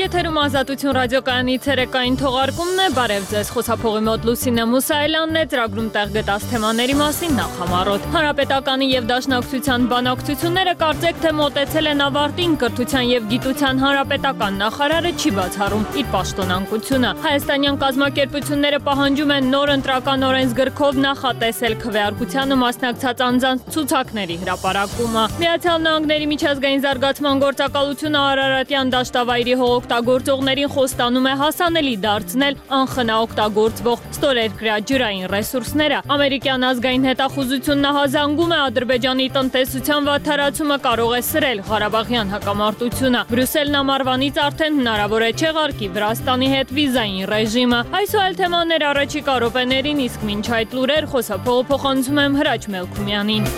Եթերում Ազատություն ռադիոկայանի ցերեկային թողարկումն է, բարև ձեզ, խոսափողի մոտ Լուսինե Մուսայելյանն է, ծրագրում տեղ գտած թեմաների մասին նախամարոտ։ Հանրապետականի եւ Դաշնակցության բանակցությունները կարծեք թե մոտեցել են ավարտին, կրթության եւ գիտության հանրապետական նախարարը չի բացառում իր պաշտոնանկությունը։ Հայաստանյան կազմակերպությունները պահանջում են նոր ընտրական օրենսգրքով նախատեսել քվեարկությանը մասնակցած անձանց ցուցակների հրապարակումը։ Միացյալ Նահանգների միջազգային զարգացման գործակալությունը Արարատյան դաշտավայրի հողօգտագործողներին խոստանում է հասանելի դարձնել անխնա օգտագործվող ստորերկրյա ջրային ռեսուրսները։ Ամերիկյան ազգային հետախուզությունն հազանգում է Ադրբեջանի տնտեսության վատթարացումը կարող է սրել Ղարաբաղյան հակամարտությունը։ Բրյուսելն ամառվանից արդեն հնարավոր է չեղարկի Վրաստանի հետ վիզային ռեժիմը։ Այս ու այլ թեմաներ առաջիկա րոպեներին, իսկ մինչ այդ լուրեր խոսափողը փոխանցում եմ Հրաչ Մելքումյանին։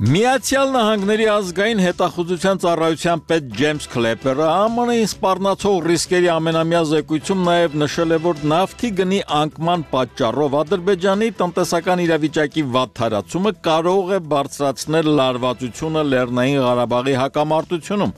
Միացյալ Նահանգների ազգային հետախուզության ծառայության պետ Ջեյմս Քլեպերը ԱՄՆ-ին սպառնացող ռիսկերի ամենամյա զեկույցում նաև նշել է, որ նավթի գնի անկման պատճառով Ադրբեջանի տնտեսական իրավիճակի վատթարացումը կարող է բարձրացնել լարվածությունը Լեռնային Ղարաբաղի հակամարտությունում։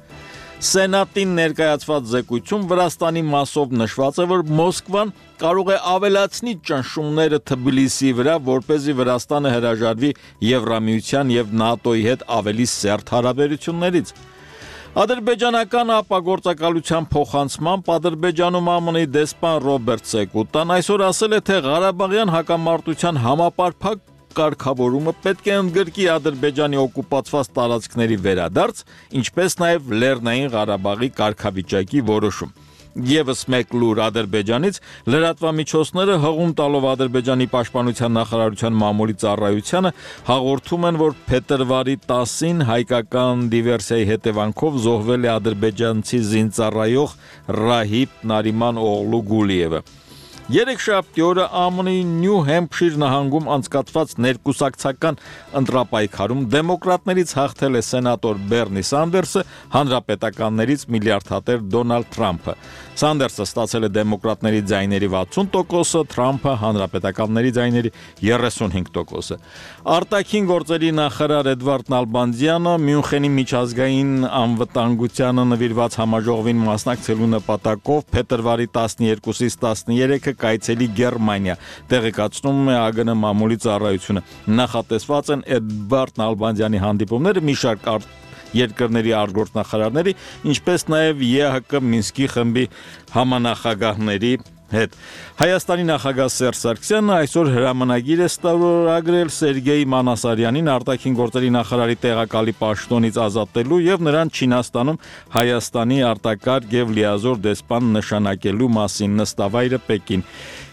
Սենատին ներկայացված զեկույցում Վրաստանի մասով նշված է, որ Մոսկվան կարող է ավելացնի ճնշումները Թբիլիսիի վրա, որպեսզի Վրաստանը հրաժարվի Եվրամիության եւ ՆԱՏՕ-ի հետ ավելի սերտ հարաբերություններից։ Ադրբեջանական ապագործակալության փոխանցմամբ Ադրբեջանում ԱՄՆ-ի դեսպան Ռոբերտ Սեկուտան այսօր ասել է, թե Ղարաբաղյան հակամարտության համապարփակ կարգավորումը պետք է ընդգրկի Ադրբեջանի օկուպացված տարածքների վերադարձ, ինչպես նաև Լեռնային Ղարաբաղի կարգավիճակի որոշում։ Եվս մեկ լուր Ադրբեջանից լրատվամիջոցները հղում տալով Ադրբեջանի պաշտպանության նախարարության մամուլի ծառայությանը հաղորդում են, որ փետրվարի 10-ին հայկական դիվերսիայի հետևանքով զոհվել է ադրբեջանցի զինծառայող Ռահիբ Նարիման Օղլու Գուլիևը։ Երեքշաբթի օրը ԱՄՆ-ի Նյու Հեմփշիր նահանգում անցկացված ներկուսակցական ընտրապայքարում դեմոկրատներից հաղթել է սենատոր Բերնի Սանդերսը, հանրապետականներից միլիարդատեր Դոնալդ Թրամփը։ Սանդերսը ստացել է դեմոկրատների ձայների 60%, Թրամփը հանրապետականների ձայների 35%։ Արտաքին գործերի նախարար Էդվարդ Նալբանդյանը Մյունխենի միջազգային անվտանգությանը նվիրված համաժողովին մասնակցելու նպատակով փետրվարի 12-ից 13-ը կայցելի Գերմանիա, տեղեկացնում է ԱԳՆ մամուլի ծառայությունը։ Նախատեսված են Էդվարդ Նալբանդյանի հանդիպումները մի շարք երկրների արտգործնախարարների, ինչպես նաև ԵՀԿ Մինսկի խմբի համանախագահների հետ։ Հայաստանի նախագահ Սերժ Սարգսյանը այսօր հրամանագիր է ստորագրել Սերգեյ Մանասարյանին արտաքին գործերի նախարարի տեղակալի պաշտոնից ազատելու եւ նրան Չինաստանում Հայաստանի արտակարգ եւ լիազոր դեսպան նշանակելու մասին, նստավայրը Պեկին։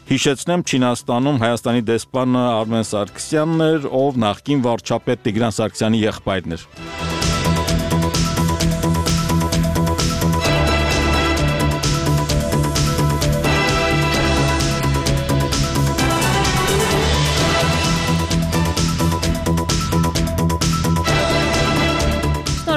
Հիշեցնեմ, Չինաստանում Հայաստանի դեսպանը Արմեն Սարգսյանն էր, ով նախկին վարչապետ Տիգրան Սարգսյանի եղբայրն էր։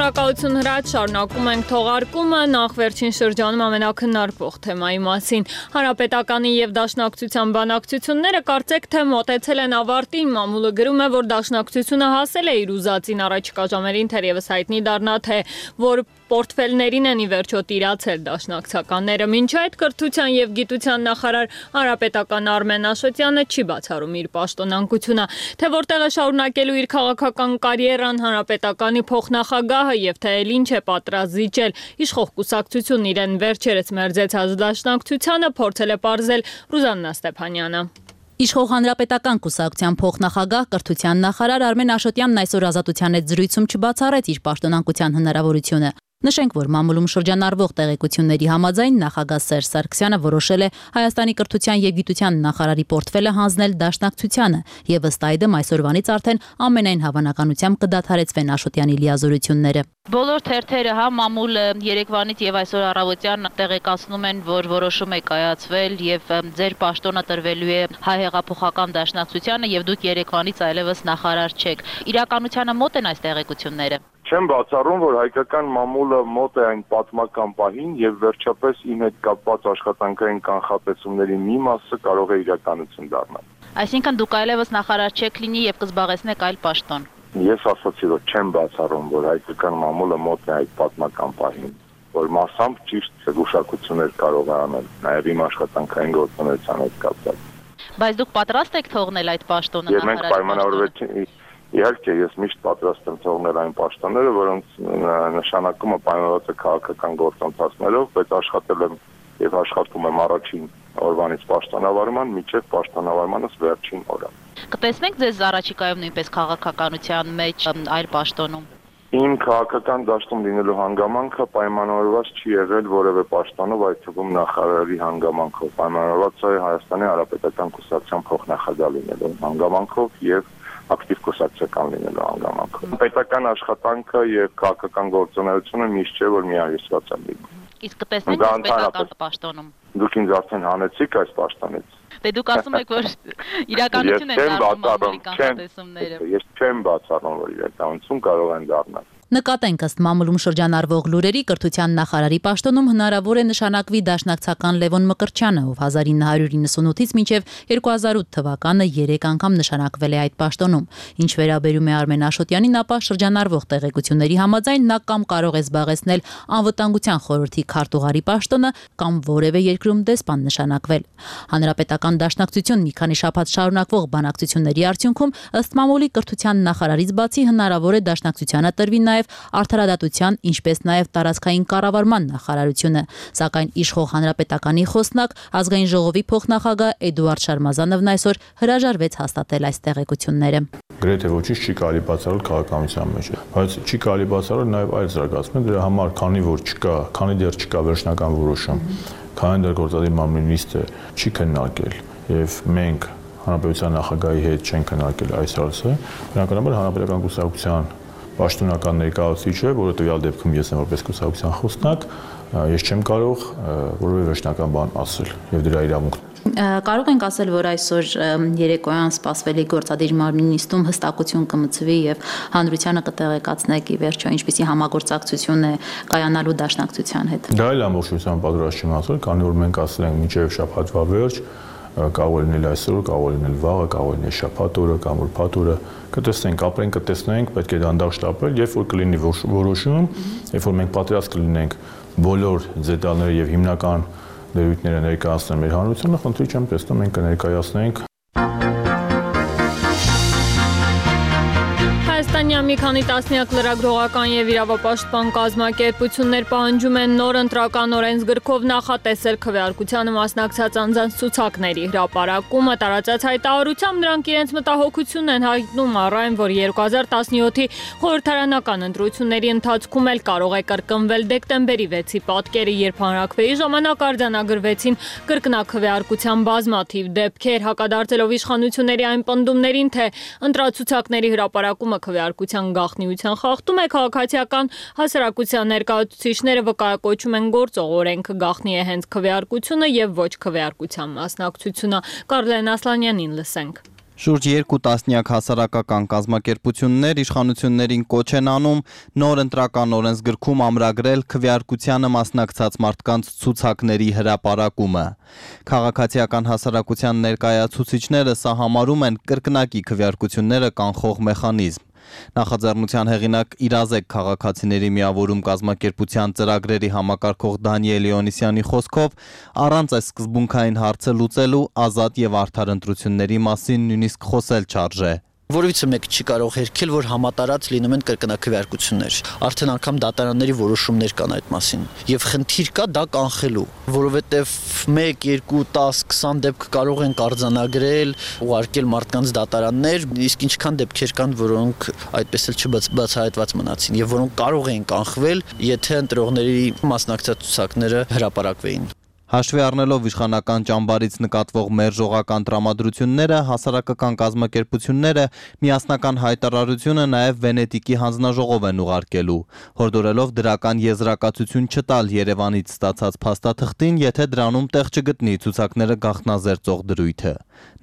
Շնորհակալություն Հրաչ, շարունակում ենք թողարկումը, նախ վերջին շրջանում ամենակննարկվող թեմայի մասին։ Հանրապետականի եւ Դաշնակցության բանակցությունները կարծեք թե մոտեցել են ավարտին, մամուլը գրում է, որ Դաշնակցությունը հասել է իր ուզածին, առաջիկա ժամերին թերևս հայտնի դառնա, թե որ պորտֆելներին են ի վերջո տիրացել դաշնակցականները։ Մինչ այդ կրթության եւ գիտության նախարար հանրապետական Արմեն Աշոտյանը չի բացառում իր պաշտոնանկությունը, թե որտեղ է շարունակելու իր քաղաքական կարիերան հանրապետականի փոխնախագահը եւ թե էլ ինչ է պատրաստ զիջել իշխող կուսակցությունն իրեն վերջերս մերձեցած դաշնակցությանը, փորձել է պարզել Ռուզաննա Ստեփանյանը։ Իշխող հանրապետական կուսակցության փոխնախագահ կրթության նախարար Արմեն Աշոտյանն այսօր Ազատության հետ զրույցում չբացառեց իր պաշտոնանկության հնարավորությունը։ Նշենք, որ մամուլում շրջանառվող տեղեկությունների համաձայն նախագահ Սերժ Սարգսյանը որոշել է Հայաստանի կրթության եւ գիտության նախարարի պորտֆելը հանձնել Դաշնակցությանը եւ ըստ այդմ այսօրվանից արդեն ամենայն հավանականությամբ կդադարեցվեն Աշոտյանի լիազորությունները։ Բոլոր թերթերը, մամուլը երեկվանից եւ այսօր առավոտյան տեղեկացնում են, որ որոշում է կայացվել եւ ձեր պաշտոնը տրվելու է Հայ հեղափոխական դաշնակցությանը եւ դուք երեկվանից այլևս նախարար չեք։ Իրականությանը մոտ են այս տեղեկությունները։ Չեմ բացառում, որ հայկական մամուլը մոտ է այն պատմական պահին եւ վերջապես իմ հետ կապված աշխատանքային կանխատեսումների մի մասը կարող է իրականություն դառնալ։ Այսինքն դուք այլևս նախարար չեք լինի եւ կզբաղեցնեք այլ պաշտոն։ Ես ասացի, որ չեմ բացառում, որ հայկական մամուլը մոտ է այդ պատմական պահին, որ մասամբ ճիշտ զգուշակություններ կարող է անել, նաեւ իմ աշխատանքային գործունեության հետ կապված։ Բայց դուք պատրաստ եք թողնել այդ պաշտոնը Եվ մենք պայմանավորվեցինք, իհարկե ես միշտ պատրաստ եմ թողնել այն պաշտոնները, որոնց նշանակումը պայմանավորված է քաղաքական գործընթացներով, բայց աշխատել եմ եւ աշխատում եմ առաջին օրվանից պաշտոնավարման մինչեւ պաշտոնավարմանս վերջին օրը։ Կտեսնենք ձեզ առաջիկայում նույնպես քաղաքականության մեջ այլ պաշտոնում։ Իմ քաղաքական դաշտում լինելու հանգամանքը պայմանավորված չի եղել որևէ պաշտոնով, այդ թվում նախարարի հանգամանքով, պայմանավորված է Հայաստանի Հանրապետական Կուսակցության փոխնախագահ լինելու հանգամանքով եւ ակտիվ կուսակցական լինելու հանգամանքով։ Պետական աշխատանքը եւ քաղաքական գործունեությունը միշտ չէ, որ միահյուսված են լինում։ Իսկ կտեսնենք պետական պաշտոնում։ Դուք ինձ արդեն հանեցիք այս պաշտոնից։ Դե դուք ասում եք, որ իրականություն են դառնում մամուլի կանխատեսումները։ Ես չեմ բացառում, որ իրականություն կարող են դառնալ։ Նկատենք ըստ մամուլում շրջանառվող լուրերի կրթության նախարարի պաշտոնում հնարավոր է նշանակվի դաշնակցական Լևոն Մկրտչյանը, ով 1998-ից մինչև 2008 թվականը 3 անգամ նշանակվել է այդ պաշտոնում։ Ինչ վերաբերում է Արմեն Աշոտյանին, ապա շրջանառվող տեղեկությունների համաձայն նա կամ կարող է զբաղեցնել անվտանգության խորհրդի քարտուղարի պաշտոնը կամ որևէ երկրում դեսպան նշանակվել։ Հանրապետական դաշնակցություն մի քանի շաբաթ շարունակվող բանակցությունների արդյունքում ըստ մամուլի կրթության նախարարից բացի հնարավոր է դաշնակցությանը տրվի նաև արդարադատության, ինչպես նաև տարածքային կառավարման նախարարությունը, սակայն իշխող հանրապետականի խոսնակ ազգային ժողովի փոխնախագահ Էդուարդ Շարմազանովն այսօր հրաժարվեց հաստատել այս տեղեկությունները։ Գրեթե ոչինչ չի կարելի բացառել քաղաքականության մեջ, բայց չի կարելի բացառել նաև այլ զարգացումներ, դրա համար քանի դեռ չկա վերջնական որոշում, քանի դեռ գործադիր մամուլի նիստը չի քննարկել եւ մենք հանրապետության նախագահի հետ չենք քննարկել այս հարցը, բնականաբար հանրապետական կուսակցության պաշտոնական ներկայացուցիչը, որը տվյալ դեպքում ես եմ որպես կուսակցության խոսնակ, ես չեմ կարող որևէ վերջնական բան ասել եւ դրա իրավունքն Կարող ենք ասել, որ այսօր երեկոյան սպասվելի գործադիր մարմնի նիստում հստակություն կմցվի եւ հանրությանը կտեղեկացնեք ի վերջո ինչպիսի համագործակցություն է կայանալու դաշնակցության հետ։ Դա էլ ամբողջությամբ պատրաստ չեմ ասել, քանի որ մենք ասել ենք մինչեւ շաբաթվա վերջ, կարող լինել այսօր, կարող լինել վաղը, կարող լինել շաբաթ օրը կամ ուրբաթ օրը, կտեսնենք, ապրենք, կտեսնենք, պետք է դանդաղ շտապել, երբ որ կլինի որոշում, երբ որ մենք պատրաստ կլինենք բոլոր դետալները եւ հիմնական դերույթները ներկայացնել մեր հանրությանը, խնդրի չեմ տեսնում, մենք կներկայացնենք։ Հայաստանյան մի քանի տասնյակ լրագրողական եւ իրավապաշտպան կազմակերպություններ պահանջում են նոր ընտրական օրենսգրքով նախատեսել քվեարկությանը մասնակցած անձանց ցուցակների հրապարակումը։ Տարածած հայտարարությամբ նրանք իրենց մտահոգությունն են հայտնում առ այն, որ 2017-ի խորհրդարանական ընտրությունների ընթացքում էլ կարող է կրկնվել դեկտեմբերի 6-ի պատկերը, երբ հանրաքվեի ժամանակ արձանագրվեցին կրկնակվեարկության բազմաթիվ դեպքեր, հակադարձելով իշխանությունների այն պնդումներին, թե ընտրացուցակների հրապարակումը քվեարկության գաղտնիության խախտում է, քաղաքացիական հասարակության ներկայացուցիչները վկայակոչում են գործող օրենքը գաղտնի է հենց քվեարկությունը եւ ոչ քվեարկության մասնակցությունը։ Կարլեն Ասլանյանին լսենք։ Շուրջ 2 տասնյակ հասարակական կազմակերպություններ իշխանություններին կոչ են անում նոր ընտրական օրենսգրքում ամրագրել քվեարկությանը մասնակցած մարդկանց ցուցակների հրապարակումը։ Քաղաքացիական հասարակության ներկայացուցիչները սա համարում են կրկնակի քվեարկությունները կանխող մեխանիզմ։ Նախաձեռնության հեղինակ Իրազեկ քաղաքացիների միավորում կազմակերպության ծրագրերի համակարգող Դանիել Լեոնիսյանի խոսքով առանց այս սկզբունքային հարցը լուծելու ազատ եւ արդար ընտրությունների մասին նույնիսկ խոսել չարժե։ Որևիցե մեկը չի կարող հերքել, որ համատարած լինում են կրկնակվեարկություններ։ Արդեն անգամ դատարանների որոշումներ կան այդ մասին։ Եվ խնդիր կա դա կանխելու, որովհետև 1, 2, 10, 20 դեպք կարող են արձանագրել, ուղարկել մարդկանց դատարաններ, իսկ ինչքան դեպքեր կան, որոնք այդպես էլ չբացահայտված մնացին եւ որոնք կարող են կանխվել, եթե ընտրողների մասնակցած ցուցակները հրապարակվեին։ Հաշվի առնելով իշխանական ճամբարից նկատվող մերժողական տրամադրությունները, հասարակական կազմակերպությունները միասնական հայտարարությունը նաև Վենետիկի հանձնաժողով են ուղարկելու, հորդորելով դրական եզրակացություն չտալ Երևանից ստացած փաստաթղթին, եթե դրանում տեղ չգտնի ցուցակները գաղտնազերծող դրույթը։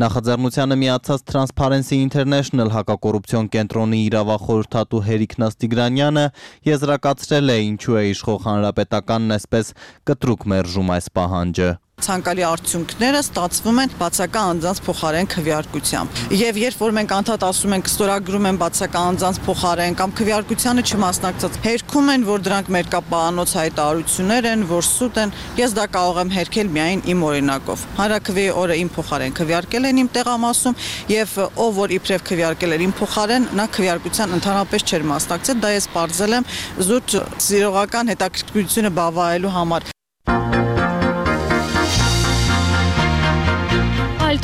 Նախաձեռնությանը միացած Transparency International հակակոռուպցիոն կենտրոնի իրավախորհրդատու Հերիկ Նաստիգրանյանը եզրակացրել է ինչու է իշխող հանրապետականն այսպես կտրուկ մերժում այս պահանջը։ Ցանկալի արդյունքները ստացվում են բացական անձանց փոխարեն քվեարկությամբ։ Եվ երբ որ մենք անդադ ասում ենք ստորագրում են բացական անձանց փոխարեն կամ քվեարկությանը չմասնակցած, հերքում են, որ դրանք մերկապահանոց հայտարարություններ են, որ սուտ են, ես դա կարող եմ հերքել միայն իմ օրինակով։ Հանրաքվեի օրը իմ փոխարեն քվեարկել են իմ տեղամասում եւ ով որ իբրև քվեարկել էր իմ փոխարեն, նա քվեարկության ընդհանրապես չէր մասնակցել, դա ես բարձել եմ զուտ զիրողական հետաքրքրությունը բավարարելու համար։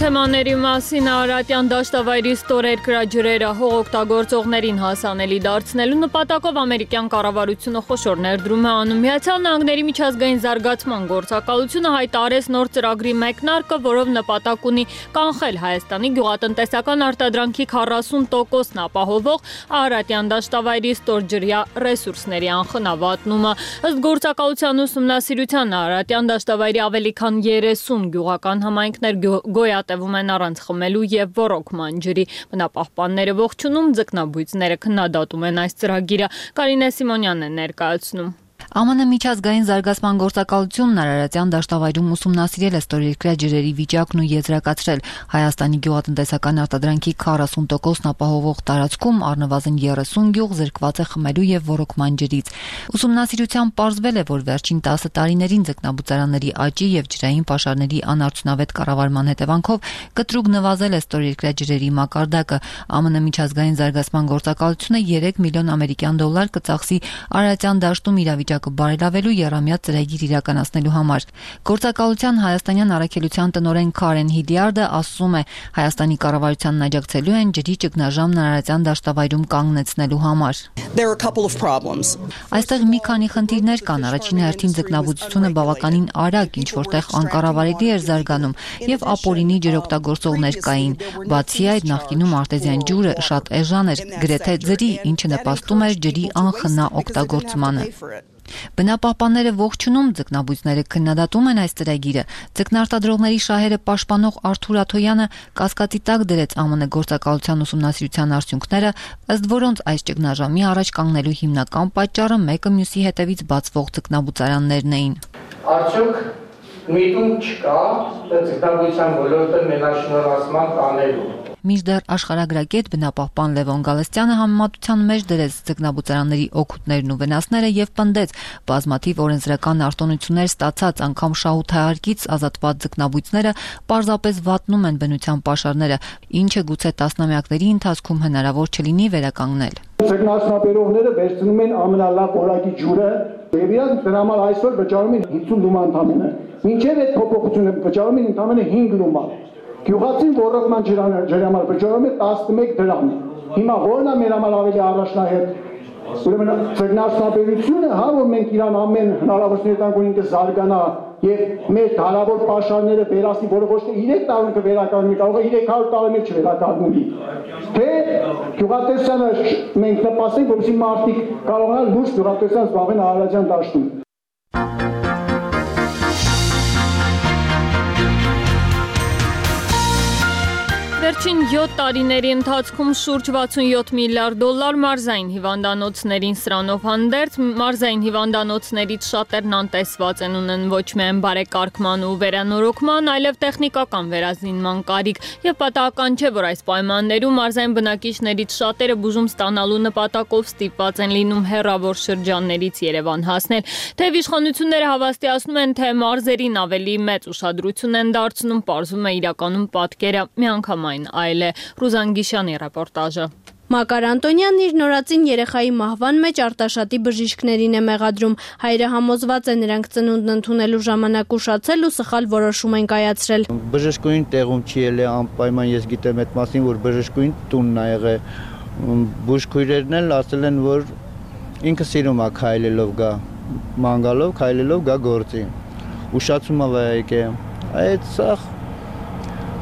Թեմաների մասին Արարատյան դաշտավայրի ստորերկրաջրերը հողօգտագործողներին հասանելի դարձնելու նպատակով ամերիկյան կառավարությունը խոշոր ներդրում է անում։ Միացյալ Նահանգների միջազգային զարգացման գործակալությունը հայտարարեց նոր ծրագրի մեկնարկը, որով նպատակ ունի կանխել Հայաստանի գյուղատնտեսական արտադրանքի 40%-ն ապահովող Արարատյան դաշտավայրի ստորջրյա ռեսուրսների անխնավատնումը։ Ըստ գործակալության ուսումնասիրության Արարատյան դաշտավայրի ավելի քան 30 գյուղական համայնքներ գոյատևում են առանց խմելու եւ ոռոգման ջրի։ Բնապահպանները ողջունում, ձկնաբույծները քննադատում են այս ծրագիրը։ Կարինե Սիմոնյանն է ներկայացնում։ ԱՄՆ միջազգային զարգացման գործակալությունն Արարատյան դաշտավայրում ուսումնասիրել է ստորերկրյա ջրերի վիճակն ու եզրակացրել Հայաստանի գյուղատնտեսական արտադրանքի 40%-ն ապահովող տարածքում առնվազն 30 գյուղ զրկված է խմելու եւ ոռոգման ջրից։ Ուսումնասիրությամբ պարզվել է, որ վերջին 10 տարիներին ձկնաբուծարանների աճի եւ ջրային պաշարների անարդյունավետ կառավարման հետևանքով կտրուկ նվազել է ստորերկրյա ջրերի մակարդակը։ ԱՄՆ միջազգային զարգացման գործակալությունը 3 միլիոն ամերիկյան դոլար կծախսի Արարատյան դաշտում իրավիճակը բարելավելու եռամյա ծրագիր իրականացնելու համար։ Գործակալության հայաստանյան առաքելության տնօրեն Քարեն Հիդիարդը ասում է, Հայաստանի կառավարությանն աջակցելու են ջրի ճգնաժամն Արարատյան դաշտավայրում կանգնեցնելու համար։ Այստեղ մի քանի խնդիրներ կան։ Առաջին հերթին ձկնաբուծությունը բավականին արագ, ինչ որտեղ անկառավարելի էր զարգանում, եւ ապօրինի ջրօգտագործողներ կային։ Բացի այդ, նախկինում արտեզյան ջուրը շատ էժան էր, գրեթե ձրի, ինչը նպաստում էր ջրի անխնա օգտագործմանը։ Բնապահպանները ողջունում, ձկնաբույծները քննադատում են այս ծրագիրը։ Ձկնարտադրողների շահերը պաշտպանող Արթուր Աթոյանը կասկածի տակ դրեց ԱՄՆ գործակալության ուսումնասիրության արդյունքները, ըստ որոնց այս ճգնաժամի առաջ կանգնելու հիմնական պատճառը մեկը մյուսի հետևից բացվող ձկնաբուծարաններն էին։ Արդյոք միտում չկա ձկնաբույծության ոլորտը մենաշնորհացման տանելու։ Մինչդեռ աշխարհագրագետ բնապահպան Լևոն Գալստյանը համեմատության մեջ դրեց ձկնաբուծարանների օգուտներն ու վնասները եւ պնդեց բազմաթիվ օրենսդրական արտոնություններ ստացած անգամ շահութահարկից ազատված ձկնաբույծները պարզապես վատնում են բնության պաշարները, ինչը գուցե տասնամյակների ընթացքում հնարավոր չլինի վերականգնել։ Ձկնասնապերողները վերցնում են ամենալավ որակի ջուրը եւ իրանք դրա համար այսօր վճարում են 50 լումա ընդամենը։ Մինչեւ այդ փոփոխությունը վճարում են ընդամենը 5 լումա։ Գյուղացին ոռոգման ջրի համար վճարում է 11 դրամ։ Հիմա ո՞րն է մեր համար ավելի առաջնահերթ։ Ուրեմն ձկնասնապերությունը, հա, որ մենք իրան ամեն հնարավորություններ տանք, որ ինքը զարգանա եւ մեր հարավոր պաշարները վերացնի, որը ոչ թե 3 տարի կվերականգնի, կարող է 300 տարի մեջ վերականգնի։ Թե գյուղատնտեսությանը մենք նպաստենք, որպեսզի մարդիկ կարողանան լուրջ գյուղատնտեսությամբ զբաղվել Արարատյան դաշտում։ Վերջին 7 տարիների ընթացքում շուրջ 67 միլիարդ դոլար մարզային հիվանդանոցներին սրանով հանդերձ, մարզային հիվանդանոցներից շատերն անտեսված են, ունեն ոչ միայն բարեկարգման ու վերանորոգման, այլև տեխնիկական վերազինման կարիք, եւ պատահական չէ, որ այս պայմաններում մարզային բնակիչներից շատերը բուժում ստանալու նպատակով ստիպված են լինում հեռավոր շրջաններից Երևան հասնել։ Թեև իշխանությունները հավաստիացնում են, թե մարզերին ավելի մեծ ուշադրություն են դարձնում, պարզվում է իրականում պատկերը միանգամայն այլ է։ Ռուզան Գիշյանի ռեպորտաժը։ Մակար Անտոնյանն իր նորածին երեխայի մահվան մեջ Արտաշատի բժիշկներին է մեղադրում։ Հայրը համոզված է նրանք ծնունդն ընդունելու ժամանակ ուշացել ու սխալ որոշում են կայացրել։ Բժշկուհին տեղում չի ելել, անպայման ես գիտեմ այդ մասին, որ բժշկուհին տունն է եղել։ Բուժքույրերն էլ ասել են, որ ինքը սիրում է քայլելով գա, մանգալով քայլելով գա գործի։ Ուշացումը վայեք է։ Այդ սախ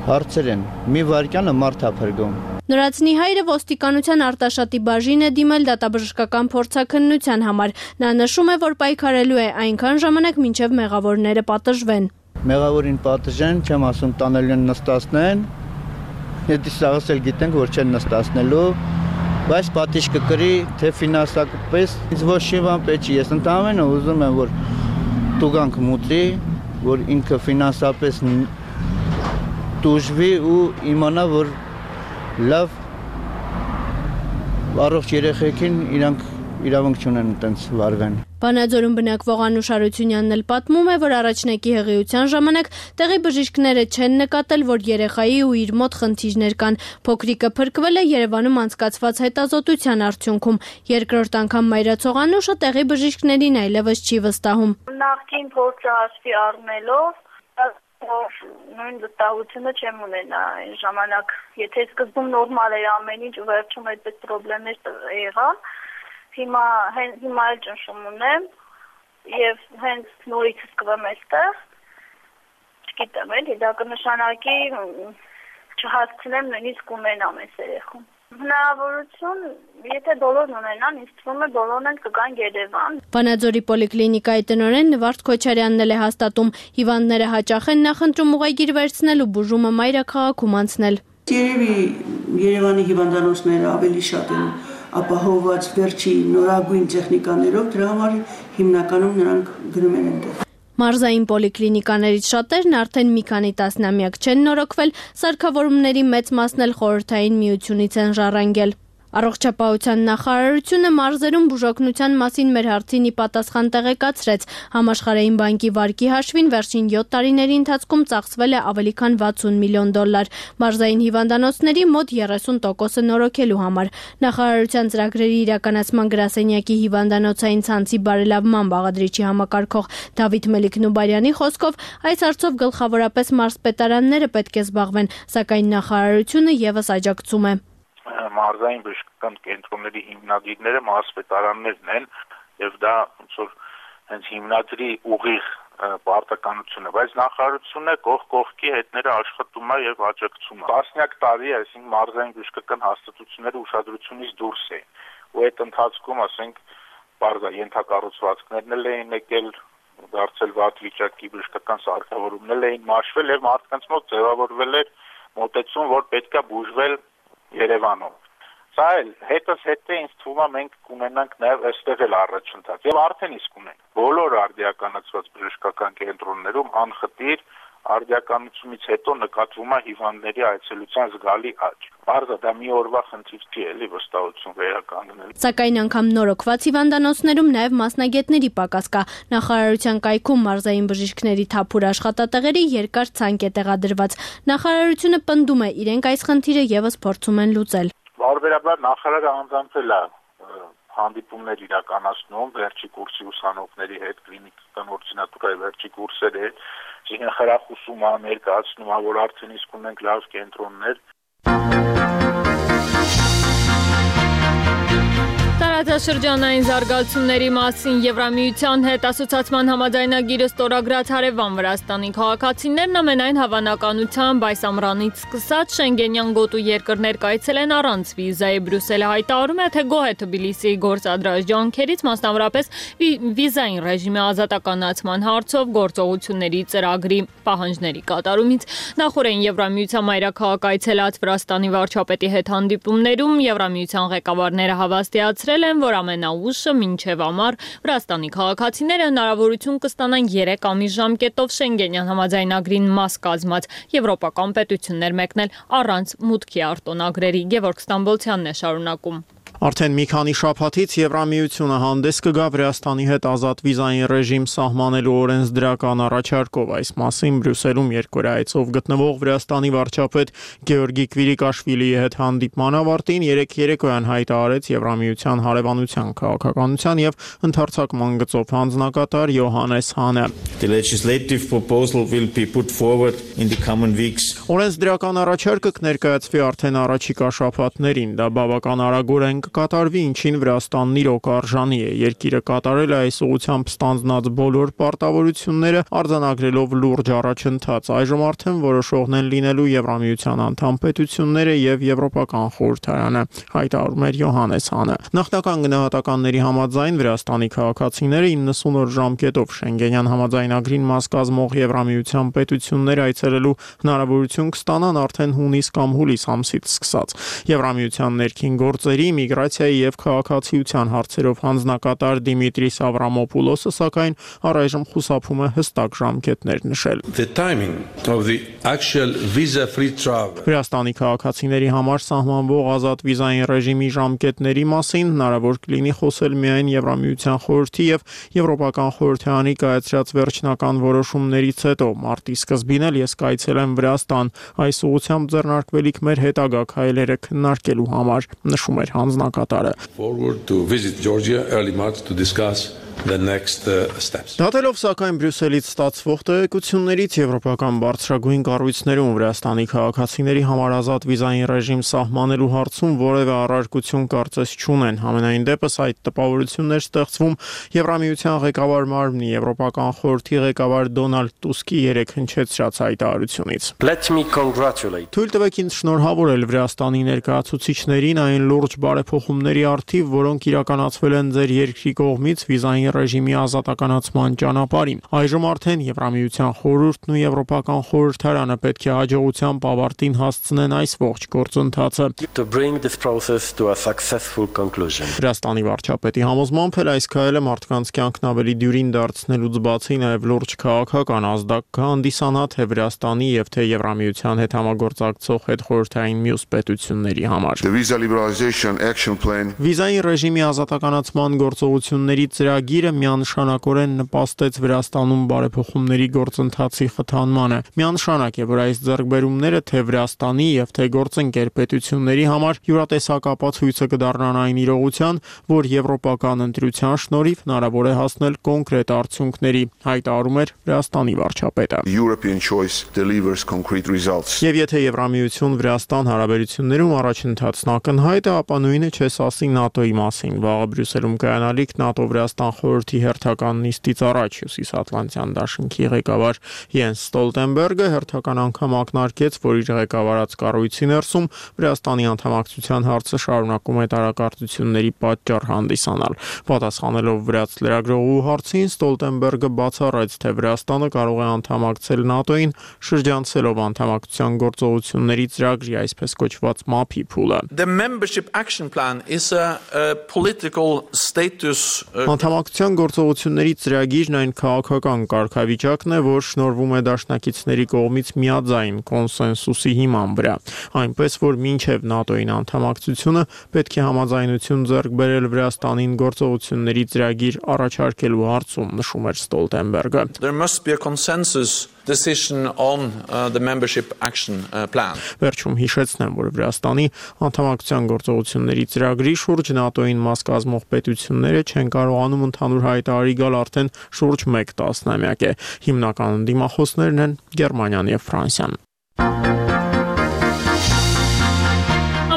հարցեր են։ Մի վարկյանը մարդ է փրկում։ Նորածնի հայրը ոստիկանության Արտաշատի բաժին է դիմել դատաբժշկական փորձաքննության համար։ Նա նշում է, որ պայքարելու է այնքան ժամանակ, մինչև մեղավորները պատժվեն։ Մեղավորին պատժեն, չեմ ասում տանելու են նստացնեն, Եթե սաղս էլ գիտենք, որ չեն նստացնելու, բայց պատիժ կկրի, թե ֆինանսապես ինձ ոչ մի բան պետք չի։ Ես ընդհանրապես ուզում եմ, որ տուգանք մուտի, որ ինքը ֆինանսապես դուժվի ու իմանա, որ լավ առողջ երեխեքին իրանք իրավունք չունեն այդպես վարվեն։ Վանաձորում բնակվող Անուշ Արությունյանն էլ պատմում է, որ առաջնակի հղիության ժամանակ տեղի բժիշկները չեն նկատել, որ երեխայի ու իր մոտ խնդիրներ կան։ Փոքրիկը փրկվել է Երևանում անցկացված հետազոտության արդյունքում։ Երկրորդ անգամ մայրացող Անուշը տեղի բժիշկներին այլևս չի վստահում։ Նախկին փորձը հաշվի առնելով որ նույն վստահությունը չեմ ունենա այն ժամանակ, եթե սկզբում նորմալ էր ամեն ինչ ու վերջում այդպես խնդիրներ եղան, հիմա էլ ճնշում ունեմ եւ հենց նորից սկսեմ այստեղ, չգիտեմ, դա կնշանակի չհասցնեմ նույնիսկ ունենամ այս երեխուն։ Հնարավորություն, եթե բոլորն ունենան, ինձ թվում է բոլորն են կգան Երևան։ Վանաձորի պոլիկլինիկայի տնօրեն Նվարդ Քոչարյանն էլ է հաստատում, հիվանդները հաճախ են նախընտրում ուղեգիր վերցնել ու բուժումը մայրաքաղաքում անցնել։ Երևի Երևանի հիվանդանոցները ավելի շատ են ապահովված վերջի նորագույն տեխնիկաներով, դրա համար հիմնականում նրանք գնում են այնտեղ։ Մարզային պոլիկլինիկաներից շատերն արդեն մի քանի տասնամյակ չեն նորոգվել, սարքավորումների մեծ մասն էլ Խորհրդային Միությունից են ժառանգել։ Առողջապահության նախարարությունը մարզերում բուժօգնության մասին մեր հարցին ի պատասխան տեղեկացրեց, համաշխարհային բանկի վարկի հաշվին վերջին 7 տարիների ընթացքում ծախսվել է ավելի քան $60 միլիոն, մարզային հիվանդանոցների մոտ 30%-ը նորոգելու համար։ Նախարարության ծրագրերի իրականացման գրասենյակի հիվանդանոցային ցանցի բարելավման բաղադրիչի համակարգող Դավիթ Մելիք-Նուբարյանի խոսքով այս հարցով գլխավորապես մարզպետարանները պետք է զբաղվեն, սակայն նախարարությունը եւս աջակցում է։ Մարզային բժշկական կենտրոնների հիմնադիրները մարզպետարաններն են եւ դա ոնց որ հենց հիմնադրի ուղիղ պարտականություն է, բայց նախարարությունը կողքի հետները աշխատում է եւ աջակցում է։ Տասնյակ տարի, այսինքն մարզային բժշկական հաստատությունները ուշադրությունից դուրս էին, ու այդ ընթացքում, ասենք, բարձր ենթակառուցվածքներն էլ էին եկել, դարձել վատ վիճակի բժշկական սարքավորումներ էին մաշվել եւ մարդկանց մոտ ձևավորվել էր մոտեցում, որ պետքա բուժվել Երևանում։ Սա էլ հետս հետը ինձ թվում է մենք կունենանք նաև այստեղ էլ առաջընթաց եւ արդեն իսկ ունենք։ Բոլոր արդիականացված բժշկական կենտրոններում անխտիր արդիականությունից հետո նկատվում է հիվանդների այցելության զգալի աճ։ Բարձր դա մի օրվա խնդիր չի էլի վստահություն վերականգնել։ Սակայն անգամ նորոգված հիվանդանոցներում նաև մասնագետների պակաս կա։ Նախարարության կայքում մարզային բժիշկների թափուր աշխատատեղերի երկար ցանկ է տեղադրված։ Նախարարությունը պնդում է, իրենք այս խնդիրը եւս փորձում են լուծել։ Բարբերաբար նախարարը անձամբ է հանդիպումներ իրականացնում վերջի կուրսի ուսանողների հետ, կլինիկական օրդինատուրայի վերջի կուրսերի հետ, իրեն խրախուսում է, ներկայացնում է, որ արդեն իսկ ունենք լավ կենտրոններ։ Տարածաշրջանային զարգացումների մասին Եվրամիության հետ ասոցիացիան համաձայնագիրը ստորագրած հարևան Վրաստանի քաղաքացիներն ամենայն հավանականությամբ այս ամռանից սկսած Շենգենյան գոտու երկրներ կայցելեն առանց վիզայի։ Բրյուսելը հայտարարում է, թե գոհ է Թբիլիսիի գործադրած ջանքերից, մասնավորապես վիզային ռեժիմի ազատականացման հարցով գործողությունների ծրագրի պահանջների կատարումից։ Նախորդին Եվրամիության մայրաքաղաք այցելած Վրաստանի վարչապետի հետ հանդիպումներում Եվրամիության ղեկավարները հավաստիացրել են, որ ամենաուշը մինչև ամառ Վրաստանի քաղաքացիները հնարավորություն կստանան 3 ամիս ժամկետով Շենգենյան համաձայնագրին մաս կազմած եվրոպական պետություններ մեկնել առանց մուտքի արտոնագրերի։ Գևորգ Ստամբոլցյանն է շարունակում։ Արդեն մի քանի շաբաթից Եվրամիությունը հանդես կգա Վրաստանի հետ ազատ վիզային ռեժիմ սահմանելու օրենսդրական առաջարկով։ Այս մասին Բրյուսելում երկօրյա այցով գտնվող Վրաստանի վարչապետ Գեորգի Կվիրիկաշվիլիի հետ հանդիպման ավարտին երեկոյան հայտարարեց Եվրամիության հարևանության քաղաքականության եւ ընդարձակման գծով հանձնակատար Յոհանես Հանը։ The legislative proposal will be put forward in the coming weeks. Օրենսդրական առաջարկը կներկայացվի արդեն առաջիկա շաբաթներին։ Դա բավական արագորեն կկատարվի, ինչին Վրաստանն իրոք արժանի է։ Երկիրը կատարել է այս ուղղությամբ ստանձնած բոլոր պարտավորությունները, արձանագրելով լուրջ առաջընթաց։ Այժմ արդեն որոշողն են լինելու Եվրամիության անդամ պետությունները եւ Եվրոպական խորհրդարանը, հայտարարում էր Յոհանես Հանը։ Նախնական գնահատականների համաձայն Վրաստանի քաղաքացիները 90 օր ժամկետով Շենգենյան համաձայնագրին մաս կազմող Եվրամիության պետություններ այցելելու հնարավորություն կստանան արդեն հունիս կամ հուլիս ամսից սկսած։ Եվրամիության ներքին գործերի, միգրացիայի եւ քաղաքացիության հարցերով հանձնակատար Դիմիտրիս Ավրամոպուլոսը սակայն առայժմ խուսափում է հստակ ժամկետներ նշել։ Վրաստանի քաղաքացիների համար սահմանվող ազատ վիզային ռեժիմի ժամկետների մասին հնարավոր կլինի խոսել միայն Եվրամիության խորհրդի եւ Եվրոպական խորհրդարանի կայացրած վերջնական որոշումներից հետո։ Մարտի սկզբին էլ ես կայցելեմ Վրաստան, այս ուղղությամբ ձեռնարկվելիք մեր հետագա քայլերը քննարկելու համար, նշում էր հանձնակատարը։ Դատելով սակայն Բրյուսելից ստացվող տեղեկություններից եվրոպական բարձրագույն կառույցներում Վրաստանի քաղաքացիների համար ազատ վիզային ռեժիմ սահմանելու հարցում որևէ առարկություն կարծես չունեն։ Համենայն դեպս այդ տպավորություններ ստեղծվում Եվրամիության ղեկավար մարմնի Եվրոպական խորհրդի ղեկավար Դոնալդ Տուսկի երեկ հնչեցրած հայտարարությունից։ Թույլ տվեք ինձ շնորհավորել Վրաստանի ներկայացուցիչներին այն լուրջ բարեփոխումների առթիվ, որոնք իրականացվել են ձեր երկրի կողմից վիզային ռեժիմի ազատականացման ճանապարհին։ Այժմ արդեն Եվրամիության խորհուրդն ու Եվրոպական խորհրդարանը պետք է հաջողությամբ ավարտին հասցնեն այս ողջ գործընթացը։ Վրաստանի վարչապետի համոզմամբ էլ այս քայլը մարդկանց կյանքն ավելի դյուրին դարձնելուց բացի նաև լուրջ քաղաքական ազդակ կհանդիսանա թե Վրաստանի եւ թե Եվրամիության հետ համագործակցող հետխորհրդային մյուս պետությունների համար։ Վիզային ռեժիմի ազատականացման գործողությունների ծրագիրը միանշանակորեն նպաստեց Վրաստանում բարեփոխումների գործընթացի խթանմանը։ Միանշանակ է, որ այս ձեռքբերումները թե Վրաստանի եւ թե գործընկեր պետությունների համար յուրատեսակ ապացույցը կդառնան այն իրողության, որ եվրոպական ընտրության շնորհիվ հնարավոր է հասնել կոնկրետ արդյունքների, հայտարարում էր Վրաստանի վարչապետը։ Եվ եթե Եվրամիություն Վրաստան հարաբերություններում առաջընթացն ակնհայտ է, ապա նույնը չես ասի ՆԱՏՕ-ի մասին։ Վաղը Բրյուսելում կայանալիք ՆԱՏՕ-Վրաստան խորհրդի հերթական նիստից առաջ Հյուսիսատլանտյան դաշինքի ղեկավար Յենս Ստոլտենբերգը հերթական անգամ ակնարկեց, որ իր ղեկավարած կառույցի ներսում Վրաստանի անդամակցության հարցը շարունակում է տարակարծությունների պատճառ հանդիսանալ։ Պատասխանելով վրաց լրագրողու հարցին, Ստոլտենբերգը բացառեց, թե Վրաստանը կարող է անդամակցել ՆԱՏՕ-ին, շրջանցելով անդամակցության գործողությունների ծրագրի, այսպես կոչված MAP-ի փուլը։ Անդամակցության գործողությունների ծրագիրն այն քաղաքական կարգավիճակն է, որ շնորհվում է դաշնակիցների կողմից միաձայն կոնսենսուսի հիման վրա, այնպես որ մինչև ՆԱՏՕ-ին անդամակցությունը պետք է համաձայնություն ձեռք բերել Վրաստանին գործողությունների ծրագիր առաջարկելու հարցում, նշում էր Ստոլտենբերգը։ Վերջում հիշեցնեմ, որ Վրաստանի անդամակցության գործողությունների ծրագրի շուրջ ՆԱՏՕ-ին մաս կազմող պետությունները չեն կարողանում ընդհանուր հայտարարի գալ արդեն շուրջ 1 տասնամյակ է։ Հիմնական դիմախոսներն են Գերմանիան եւ Ֆրանսիան։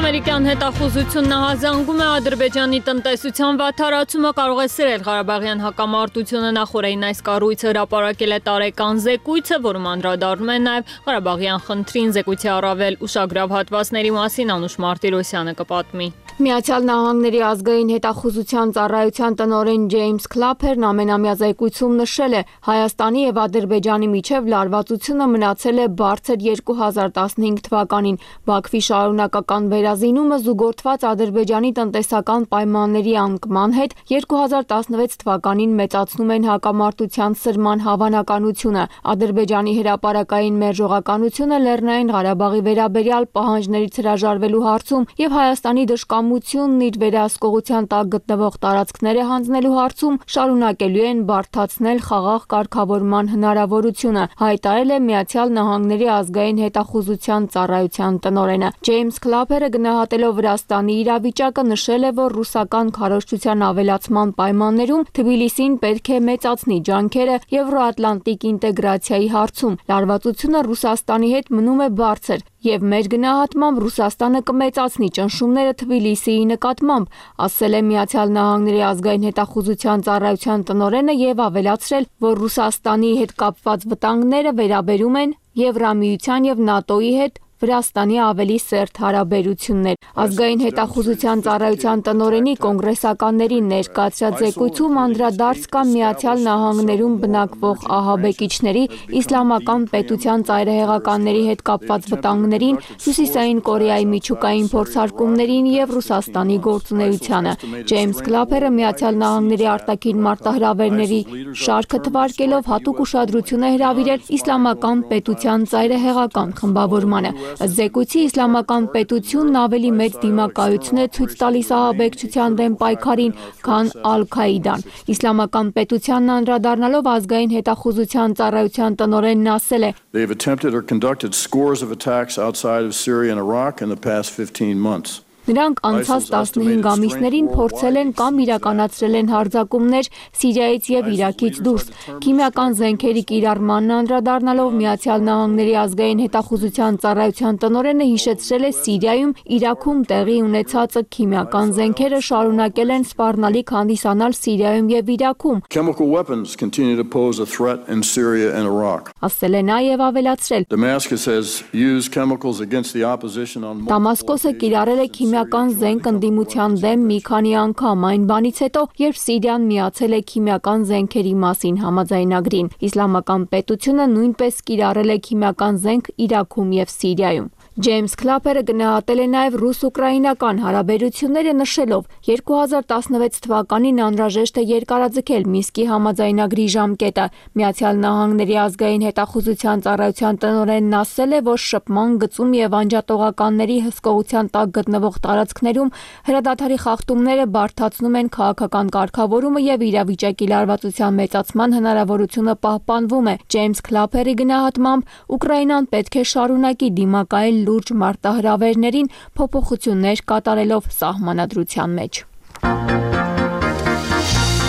Ամերիկյան հետախուզությունն ահազանգում է Ադրբեջանի տնտեսության վատթարացումը կարող է սրել Ղարաբաղյան հակամարտությունը նախորդին այս կառույցը հրապարակել է տարեկան զեկույցը, որում անդրադառնում է նաև Ղարաբաղյան խնդրին զեկույցի առավել ուշագրավ հատվածների մասին Անուշ Մարտիրոսյանը կպատմի։ Միացյալ Նահանգների ազգային հետախուզության ծառայության տնօրեն Ջեյմս Քլափերն ամենամյա զեկույցում նշել է, Հայաստանի եւ Ադրբեջանի միջև լարվածությունը մնացել է բարձր 2015 թվականին։ Բաքվի շարունակական վերազինումը զուգորդված Ադրբեջանի տնտեսական պայմանների անկման հետ 2016 թվականին մեծացնում են հակամարտության սրման հավանականությունը։ Ադրբեջանի հրապարակային մերժողականությունը Լեռնային Ղարաբաղի վերաբերյալ պահանջներից հրաժարվելու հարցում եւ Հայաստանի դժկամությունն իր վերահսկողության տակ գտնվող տարածքները հանձնելու հարցում շարունակելու են բարդացնել խաղաղ կարգավորման հնարավորությունը, հայտարարել է Միացյալ Նահանգների ազգային հետախուզության ծառայության տնօրենը։ Ջեյմս Քլափերը գնահատելով Վրաստանի իրավիճակը նշել է, որ ռուսական քարոզչության ավելացման պայմաններում Թբիլիսին պետք է մեծացնի ջանքերը Եվրոատլանտիկ ինտեգրացիայի հարցում։ Լարվածությունը Ռուսաստանի հետ մնում է բարձր եւ մեր գնահատմամբ Ռուսաստանը կմեծացնի ճնշումները Թբիլիսիի նկատմամբ, ասել է Միացյալ Նահանգների ազգային հետախուզության ծառայության տնօրենը եւ ավելացրել, որ Ռուսաստանի հետ կապված վտանգները վերաբերում են Եվրամիության եւ ՆԱՏՕ-ի հետ Վրաստանի ավելի սերտ հարաբերություններ։ Ազգային հետախուզության ծառայության տնօրենի կոնգրեսականներին ներկայացրած զեկույցում անդրադարձ կա Միացյալ Նահանգներում բնակվող ահաբեկիչների, իսլամական պետության ծայրահեղականների հետ կապված վտանգներին, Հյուսիսային Կորեայի միջուկային փորձարկումներին եւ Ռուսաստանի գործունեությանը։ Ջեյմս Քլափերը Միացյալ Նահանգների արտաքին մարտահրավերների շարքը թվարկելով հատուկ ուշադրություն է հրավիրել իսլամական պետության ծայրահեղական խմբավորմանը։ Զեկույցի իսլամական պետությունն ավելի մեծ դիմակայություն է ցույց տալիս ահաբեկչության դեմ պայքարին, քան Ալ-Քաիդան։ Իսլամական պետությանն անդրադառնալով ազգային հետախուզության ծառայության տնօրենն ասել է. They've attempted or conducted scores of attacks outside of Syria and Iraq in the past 15 months. Նրանք անցած 15 ամիսներին փորձել են կամ իրականացրել են հարձակումներ Սիրիայից եւ Իրաքից դուրս։ Քիմիական զենքերի կիրառմանն անդրադառնալով Միացյալ Նահանգների ազգային հետախուզության ծառայության տնօրենը հիշեցրել է Սիրիայում, Իրաքում տեղի ունեցածը քիմիական զենքերը շարունակել են սպառնալիք հանդիսանալ Սիրիայում եւ Իրաքում։ Chemical weapons continue to pose a threat in Syria and Iraq. Ասել է նաեւ ավելացրել. Damascus has used chemicals against the opposition on Դամասկոսը կիրառել է քիմիական զենք ընդդիմության դեմ մի քանի անգամ այն բանից հետո, երբ Սիրիան միացել է քիմիական զենքերի մասին համաձայնագրին։ Իսլամական պետությունը նույնպես կիրառել է քիմիական զենք Իրաքում եւ Սիրիայում։ Ջեյմս Քլափերը գնահատել է նաև ռուս-ուկրաինական հարաբերությունները նշելով 2016 թվականին անհրաժեշտ է երկարաձգել Մինսկի համաձայնագրի ժամկետը։ Միացյալ Նահանգների ազգային հետախուզության ծառայության տնօրենն ասել է, որ շփման գծում եւ անջատողականների հսկողության տակ գտնվող տարածքներում հրադադարի խախտումները բարդացնում են քաղաքական կարգավորումը եւ իրավիճակի լարվածության մեծացման հնարավորությունը պահպանվում է։ Ջեյմս Քլափերի գնահատմամբ Ուկրաինան պետք է շարունակի դիմակայել լուրջ մարտահրավերներին փոփոխություններ կատարելով սահմանադրության մեջ։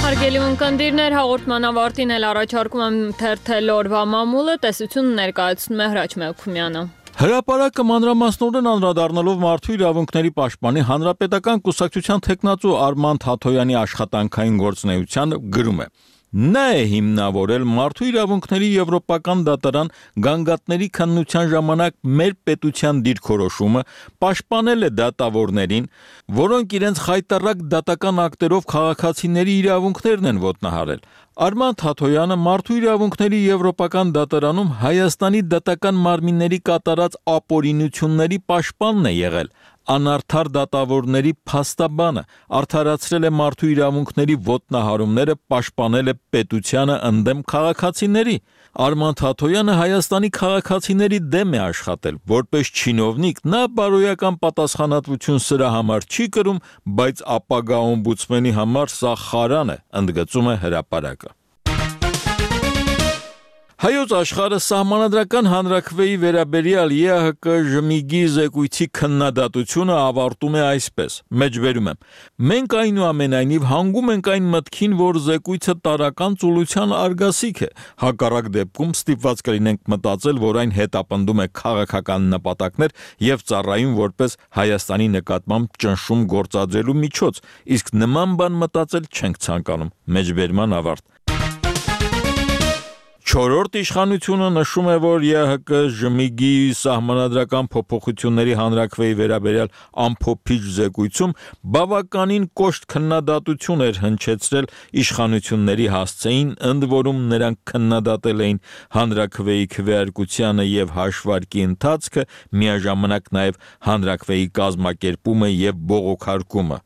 Հարգելի ունկնդիրներ, հաղորդման ավարտին էլ առաջարկում եմ թերթել օրվա մամուլը, տեսությունը ներկայացնում է Հրաչ Մելքումյանը։ Հրապարակը մանրամասնորեն անդրադառնալով մարդու իրավունքների պաշտպանի հանրապետական կուսակցության թեկնածու Արման Թաթոյանի աշխատանքային գործունեության գրում է. Նա է հիմնավորել մարդու իրավունքների եվրոպական դատարան գանգատների քննության ժամանակ մեր պետության դիրքորոշումը, պաշտպանել է դատավորներին, որոնք իրենց խայտառակ դատական ակտերով քաղաքացիների իրավունքներն են ոտնահարել։ Արման Թաթոյանը մարդու իրավունքների եվրոպական դատարանում Հայաստանի դատական մարմինների կատարած ապօրինությունների պաշտպանն է եղել։ Անարդար դատավորների փաստաբանը արդարացրել է մարդու իրավունքների ոտնահարումները, պաշտպանել է պետությանը ընդդեմ քաղաքացիների։ Արման Թաթոյանը Հայաստանի քաղաքացիների դեմ է աշխատել, որպես չինովնիկ նա բարոյական պատասխանատվություն սրա համար չի կրում, բայց ապագա օմբուդսմենի համար սա խարան է, ընդգծում է հրապարակը։ Հայոց աշխարհը սահմանադրական հանրաքվեի վերաբերյալ ԵԱՀԿ ժմիգի զեկույցի քննադատությունը ավարտում է այսպես. Մեջբերում եմ. Մենք այնուամենայնիվ հանգում ենք այն մտքին, որ զեկույցը տարրական ծուլության արգասիկ է։ Հակառակ դեպքում ստիպված կլինենք մտածել, որ այն հետապնդում է քաղաքական նպատակներ եւ ծառայում որպես Հայաստանի նկատմամբ ճնշում գործադրելու միջոց, իսկ նման բան մտածել չենք ցանկանում։ Մեջբերման ավարտ։ Չորրորդ իշխանությունը նշում է, որ ԵԱՀԿ ժմիգի սահմանադրական փոփոխությունների հանրաքվեի վերաբերյալ ամփոփիչ զեկույցում բավականին կոշտ քննադատություն էր հնչեցրել իշխանությունների հասցեին, ընդ որում նրանք քննադատել էին հանրաքվեի քվեարկությանը եւ հաշվարկի ընթացքը, միաժամանակ նաեւ հանրաքվեի կազմակերպումը եւ բողոքարկումը։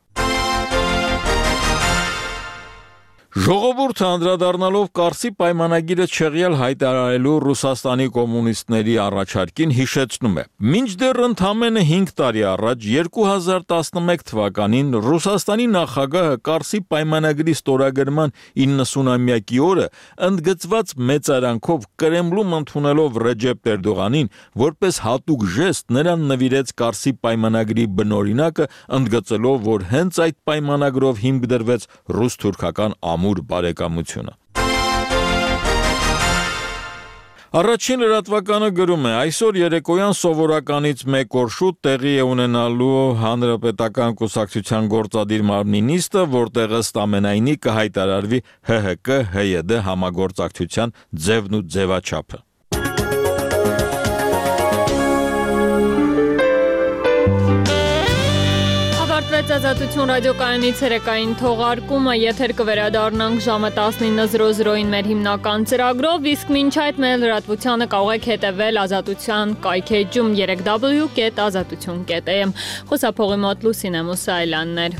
Ժողովուրդը անդրադառնալով Կարսի պայմանագիրը չեղյալ հայտարարելու Ռուսաստանի կոմունիստների առաջարկին հիշեցնում է. Մինչդեռ ընդամենը 5 տարի առաջ 2011 թվականին Ռուսաստանի նախագահը Կարսի պայմանագրի ստորագրման 90-ամյակի օրը ընդգծված մեծարանքով Կրեմլում ընդունելով Ռեջեփ Էրդողանին որպես հատուկ ժեստ նրան նվիրեց Կարսի պայմանագրի բնօրինակը, ընդգծելով, որ հենց այդ պայմանագրով հիմք դրվեց ռուս-թուրքական ամուր բարեկամությունը։ Առաջին լրատվականը գրում է. այսօր երեկոյան սովորականից 1 օր շուտ տեղի է ունենալու Հանրապետական կուսակցության գործադիր մարմնի նիստը, որտեղ ըստ ամենայնի կհայտարարվի ՀՀԿ-ՀՅԴ համագործակցության ձևն ու ձևաչափը։ Ազատություն ռադիոկայանի ցերեկային թողարկումը եթեր կվերադառնանք ժամը 19:00-ին մեր հիմնական ծրագրով, իսկ մինչ այդ մեր լրատվությանը կարող եք հետևել Ազատության կայքէջում 3w.azatutyon.am։ Խոսափողի մոտ Լուսինե Մուսայելյանն էր։